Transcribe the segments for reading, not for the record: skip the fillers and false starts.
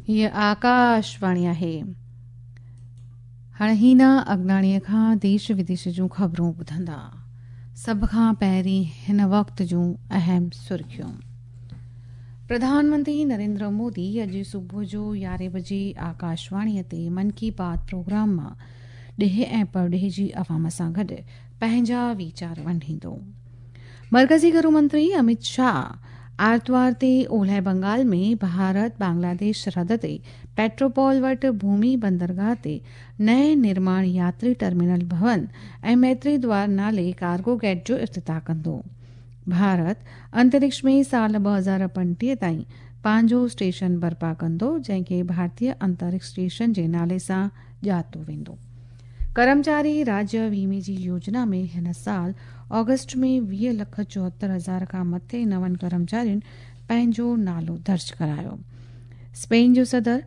هيء آڪاشواڻي آهي. هاڻي هينا اگناڻيء کان ديش وديش جون خبرون ٻڌندا. سڀ کان پهرين هن وقت جون اهم سرخيون. پرڌان منتري نريندر مودي اڄ صبح جو يارهين بجي آڪاشواڻيء تي من ڪي بات پروگرام مان ڏيهه ۽ پرڏيهه جي عوام سان گڏ پنهنجا ويچار ونڊيندو. مرڪزي گهرو منتري امت شاهه آرتوار تي اولهه بنگال ۾ ڀارت بنگلاديش سرحد تي پيٽروپول وٽ ڀومي بندرگاهه تي نئين نرماڻ ياتري ٽرمينل ڀون ۽ ميتري دوار نالي ڪارگو گيٽ جو افتتاح ڪندو. ڀارت انترڪش ۾ سال 2035 تائين پنهنجو اسٽيشن برپا ڪندو، جنهن کي ڀارتيه انترڪش اسٽيشن جي نالي سان ڄاتو ويندو. ڪرمچاري راجيه ويمي جي يوجنا ۾ هن سال آگسٽ ۾ 20 لک 74 هزار کان مٿي نون ڪرمچارين پنهنجو نالو درج ڪرايو. اسپين جو صدر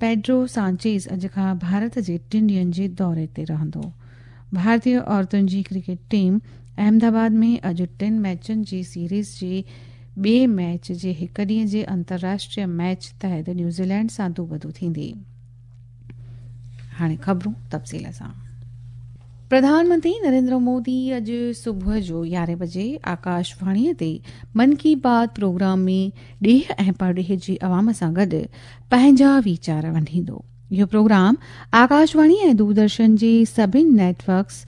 پيڊرو سانچيز اڄ کان ڀارت جي ٽن ڏينهن جي دوري تي رهندو. ڀارتي عورتن جي ڪرڪيٽ ٽيم احمدآباد ۾ اڄ ٽن ميچن جي سيريز جي ٻئي ميچ جي هڪ ڏينهن جي انترراشٽريه ميچ تحت نيوزيلينڊ سان دوبدو ٿيندي. هاڻي خبرون تفصيل سان. پرڌان منتري نريندر مودي اڄ صبح جو يارهين بجي آڪاشواڻيء تي من ڪي بات پروگرام ۾ ڏيهه ۽ پرڏيهه جي عوام سان گڏ پنهنجا ويچار ونڊيندو. اهو پروگرام آڪاشواڻي ۽ دوردرشن جي سڀني net works,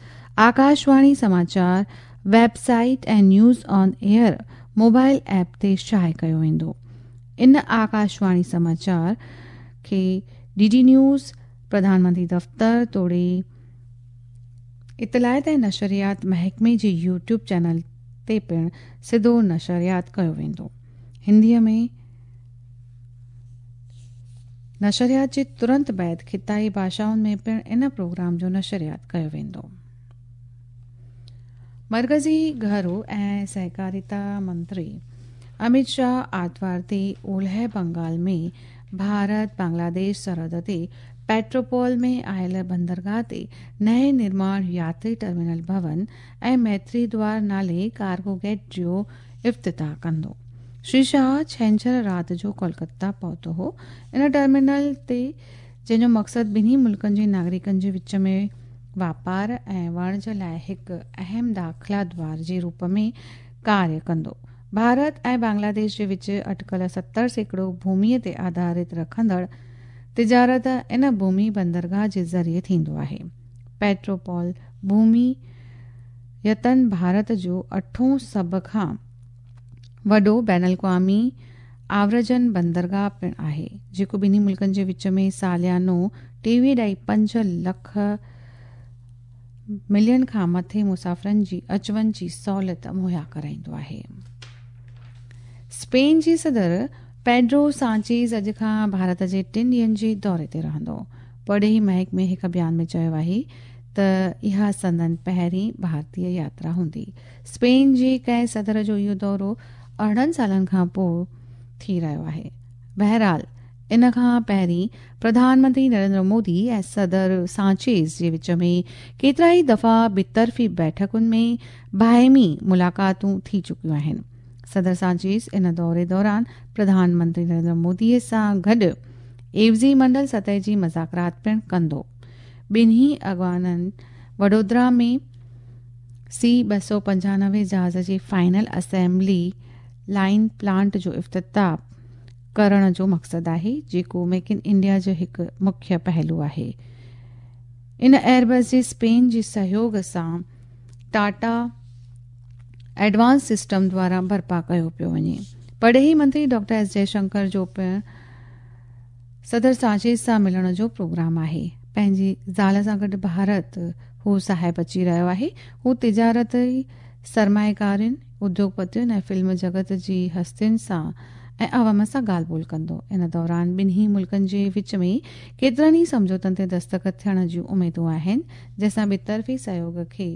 Akashvani Samachar web site ۽ news on air mobile app تي شايع ڪيو ويندو. ان آڪاشواڻي سماچار کي D D news, Pradhan Mantri دفتر توڙي اطلاعات ۽ نشريات محڪمي جي يوٽيوب چينل تي پڻ سڌو نشريات ڪيو ويندو. هنديء ۾ نشريات جي ترنت بعد خطائي ڀاشائن ۾ پڻ ان پروگرام جو نشريات ڪيو ويندو. مرڪزي گهرو ۽ سهڪاريتا منتري امت شاهه آرتوار تي اولهه بنگال ۾ ڀارت بنگلاديش سرحد تي پيٽروپول ۾ آيل بندرگاهه تي نئين نرماڻ ياتري ٽرمينل ڀون ۽ ميتري دوار نالي ڪارگو گيٽ جو افتتاح ڪندو. شري شاهه ڇنڇر رات جو ڪولڪتا پهتو هو. ان ٽرمينل تي جنهن جو مقصد ٻنهي ملڪن جي ناگرڪن جي وچ ۾ واپار ۽ وڻج لاء هڪ اهم داخلا دوار جي روپ ۾ ڪاريه ڪندو. ڀارت ۽ بنگلاديش جي وچ اٽڪل 70% ڀوميء تي آڌارت رکندڙ تجارت ان ڀومي بندرگاهه جي ذريعي ٿيندو آهي. پيٽروپول ڀومي يتن ڀارت جو اٺون سڀ کان وڏو بين الاقوامي آورجن بندرگاهه پڻ آهي، جيڪو ٻنهي ملڪن جي وچ ۾ ساليانو 23.5 لک ملين کان مٿي مسافرن جي اچ وڃ جي سهولت مهيا ڪرائيندو آهي. اسپين جي صدر پيڊرو سانچيز اڄ کان ڀارت جي ٽن ڏينهن جي دوري تي رهندو. پرڏيهي محڪمي هڪ بيان ۾ چيو آهي ته اها سندن پهرين ڀارتي ياترا هوندي. اسپين جي ڪنهن صدر جو اهو دورو 18 سالن کان پوء ٿي رهيو آهي. بهرحال ان کان پهرين پرڌان منتري نريندر مودي ۽ صدر سانچيز جي وچ ۾ ڪيترائي دفعا ٻطرفي بيٺڪن ۾ باهمي ملاقاتون ٿي چڪيون آهن. صدر سانچيز ان دوري دوران پرڌان منتري نريندر مودي سان گڏ عيوضي منڊل سطح جي مذاڪرات پڻ ڪندو. ٻنهي اڳواڻن وڊودرا ۾ سي 295 جهاز جي فائنل اسيمبلي لائين پلانٽ جو افتتاح ڪرڻ جو مقصد آهي، جيڪو ميڪ ان انڊيا جو هڪ مکيه پهلو آهي. ان ايئربس جي اسپين جي سهيوگ سان ٽاٽا ايڊوانس سسٽم دواران برپا ڪيو پيو وڃي. پرڏيهي منتري ڊاڪٽر ايس جئشنڪر جو پڻ صدر سانچيز سان ملڻ جو پروگرام آهي. پنهنجي زال سان گڏ ڀارت هو صاحب اچي رهيو آهي. هو تجارتي سرمائيڪارين، اديوگپتين ۽ فلم جڳت جي هستين سان ۽ عوام سان ڳالهه ٻولهه ڪندو. ان دوران ٻنهي ملڪن جي وچ ۾ ڪيترن ئي سمجهوتن تي دستخط ٿيڻ جون اميدون آهن، جنهن سان ٻطرفي سهيوڳ کي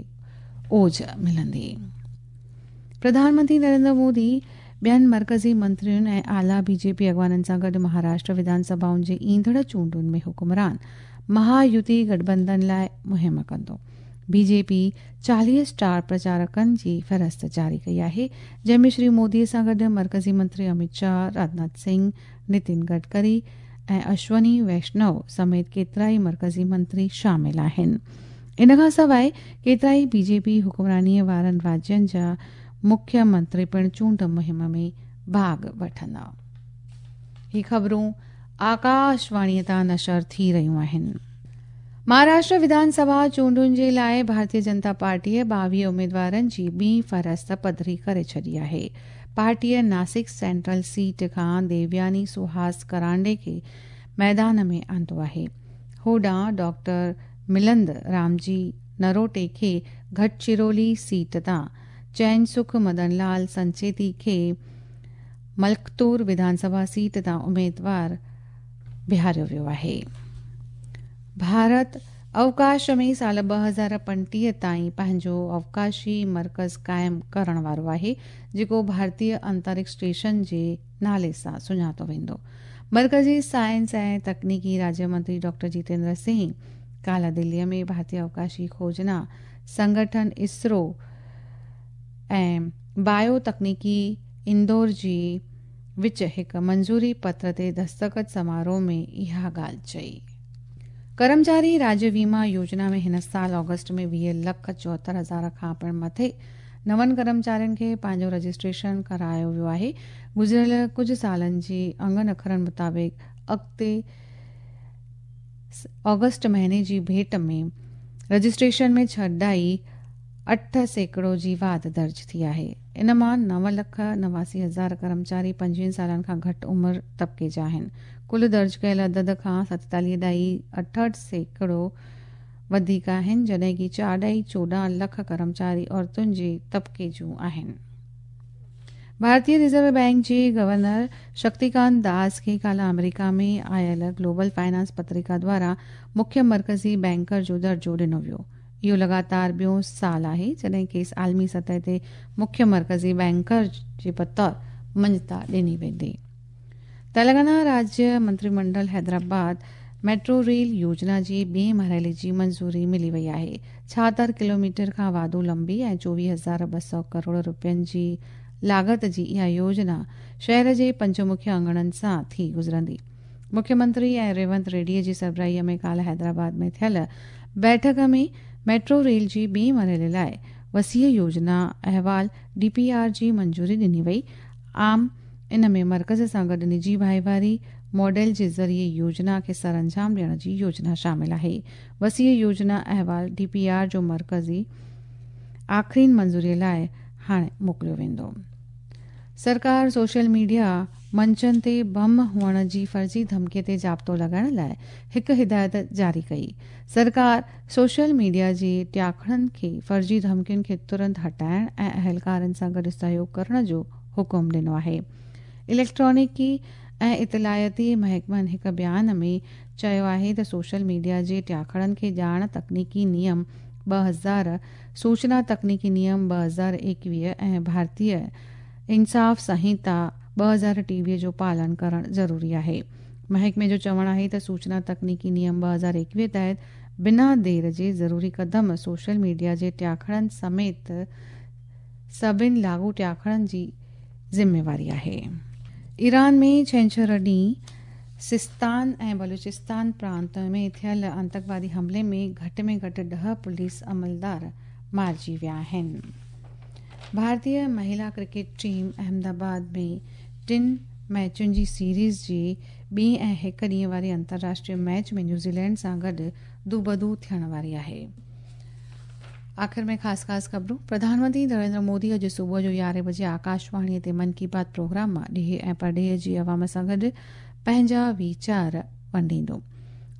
اوج ملندي. پرڌان منتري نريندر مودي ٻين مرڪزي منترين ۽ اعليٰ بي جي پي اڳواڻن سان گڏ مهاراشٽر وڌان سڀائن جي ايندڙ چونڊن ۾ حڪمران مهايوتي گٺبنڌن لاء مهم ڪندو. بي جي پي 40 اسٽار پرچارڪن جي فهرست جاري ڪئي آهي، جنهن ۾ شري مودي سان گڏ مرڪزي منتري امت شاهه، راجناٿ سنگهه، نتين گڊڪري ۽ اشوني ويشنو سميت ڪيترائي مرڪزي منتري شامل آهن. ان کان سواء ڪيترائي بي جي پي حڪمرانيء وارن راجين جا مکيه منتري پڻ چونڊ مهم ۾ ڀاڳ وٺندا. هي خبرون آڪاشواڻيء تان نشر ٿي رهيون آهن. مهاراشٽر وڌان سڀا چونڊن جي لاء ڀارتيه جنتا پارٽيء 22 اميدوارن جي ٻي فهرست پڌري ڪري ڇڏي آهي. پارٽيء ناسڪ سينٽرل سيٽ کان ديوياني سهاس ڪرانڊي کي ميدان ۾ آندو آهي. هوڏانهن ڊاڪٽر ملند رامجي نروٽي کي گهٽچرولي سيٽ تان، چين سک مدن لال سنچيتي کي ملڪتور وڌان سڀا سيٽ تان اميدوار بيهاريو ويو آهي. ڀارت اوڪاش ۾ سال 2035 تائين پنهنجو اوڪاشي مرڪز قائم ڪرڻ وارو آهي، جيڪو ڀارتيه انترڪش اسٽيشن جي نالي سان سڃاتو ويندو. مرڪزي سائنس ۽ تڪنيڪي راجيه منتري ڊاڪٽر جيتيندر سنگهه ڪالهه دليء ۾ ڀارتيه اوڪاشي کوجنا سنگٺن، اسرو، ۽ بايو تڪنيڪي اندور جي وچ هڪ منظوري پتر تي دستخط سماروهه ۾ اها ڳالهه چئي. ڪرمچاري راجيه ويما يوجنا ۾ هن سال آگسٽ ۾ 20 لک 74 هزار کان پڻ مٿي نون ڪرمچارين کي پنهنجو رجسٽريشن ڪرايو ويو آهي. گذريل ڪجهه سالن جي انگن اکرن مطابق اڳتي آگسٽ مهيني جي ڀيٽ ۾ رجسٽريشن ۾ ڇهه ڏهائي 8% جي واڌ درج ٿي آهي. ان مان 9 لک 89 هزار ڪرمچاري 25 سالن کان گهٽ عمر طبقي جا آهن. ڪل درج ڪيل عدد کان ستيتاليهه ڏهائي 68% وڌيڪ آهن، جڏهن ڪي چار ڏهائي 14 لک ڪرمچاري عورتن جي طبقي جون آهن. ڀارتي رزرو بئنڪ جي گورنر شڪتيڪانت داس کي ڪالهه آمريڪا ۾ آيل گلوبل فائنانس پتريڪا دواران مکيه مرڪزي بئنڪر جو درجو ڏنو ويو. اهو لڳاتار ٻيون سال آهي جڏهن کيس عالمي سطح تي مکيه مرڪزي بئنڪر جي بطور مڃتا ڏني ويندي. تلنگانا راجيه منتري منڊل حيدرآباد ميٽرو ريل يوجنا جي ٻئين مرحلي جي منظوري ملي وئي آهي. 76 ڪلوميٽر کان واڌو لمبي ۽ 24,200 ڪروڙ رپين جي لاڳت جي اها يوجنا شهر جي پنج مکيه اڱڻن سان ٿي گذرندي. مکيه منتري ۽ ريونت ريڊيء جي سربراهيء ۾ ڪالهه حيدرآباد ۾ ٿيل بيٺڪ ۾ ميٽرو ريل جي ٻئين مرحلي لاء وسيع يوجنا احوال، ڊي پي آر، جي منظوري ڏني وئي. عام ان ۾ مرڪز سان گڏ نجي ڀائيواري ماڊل جي ذريعي يوجنا کي سرانجام ڏيڻ جي يوجنا شامل آهي. وسيع يوجنا احوال، ڊي پي آر، جو مرڪزي آخرين منظوري لاء هاڻي موڪليو ويندو. سرڪار سوشل ميڊيا منچن تي بم هئڻ جي فرضي ڌمڪي تي ضابطو لڳائڻ لاء هڪ هدايت جاري ڪئي. سرڪار سوشل ميڊيا جي ٽياڪڙن کي فرضي ڌمڪين کي ترنت هٽائڻ ۽ اهلڪارن سان گڏ سهيوڳ ڪرڻ جو حڪم ڏنو آهي. اليڪٽرانڪي ۽ اطلاعيتي محڪمن هڪ بيان ۾ چيو آهي ته سوشل ميڊيا جي ٽياڪڙن کي ڄاڻ تڪنيڪي نيم 2000، سوچنا تڪنيڪي نيم 2021 ۽ ڀارتيه انصاف سنهيتا 2023 جو پالن ڪرڻ ضروري آهي. محڪمي جو چوڻ آهي ته سوچنا تڪنيڪي نيم 2021 تحت بنا دير جي ضروري قدم سوشل ميڊيا جي ٽياڪڙن سميت سڀن لاڳو ٽياڪڙن جي ذميواري آهي. ايران ۾ ڇنڇر ڏينهن سيستان ۽ بلوچستان پرانت ۾ ٿيل آتنڪوادي حملي ۾ گهٽ ۾ گهٽ 10 پوليس عملدار مارجي ويا آهن. ڀارتي مهلا ڪرڪيٽ ٽيم احمدآباد ۾ ٽن ميچن جي سيريز جي ٻي ۽ هڪ ڏينهن واري انترراشٽريه ميچ ۾ نيوزيلينڊ سان گڏ دوبدو ٿيڻ واري آهي. آخر ۾ خاص خاص خبرون پرڌان منتري نريندر مودي اڄ صبح جو 11 بجي آڪاشواڻي تي من ڪي بات پروگرام مان ڏيهه ۽ پرڏيهه جي عوام سان گڏ پنهنجا ويچار ونڊيندو.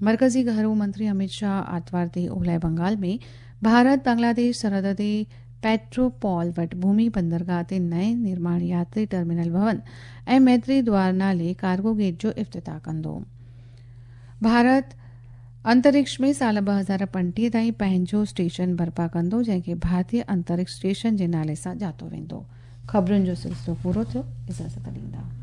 مرڪزي گهرو منتري اميت شاهه آتوار تي اولهه بنگال ۾ ڀارت بنگلاديش سرحد تي پيٽروپول وٽ ڀومي بندرگاهه تي نئين نرماڻ ياتري ٽرمينل ڀون ۽ ميتري دوار نالي ڪارگو گيٽ جو افتتاح ڪندو. ڀارت انترڪش ۾ سال 2035 تائين پنهنجو اسٽيشن برپا ڪندو جنهن کي ڀارتي انترڪش اسٽيشن جي نالي سان ڄاتو ويندو. خبرن جو سلسلو پورو ٿيو. اجازت ڏيندا.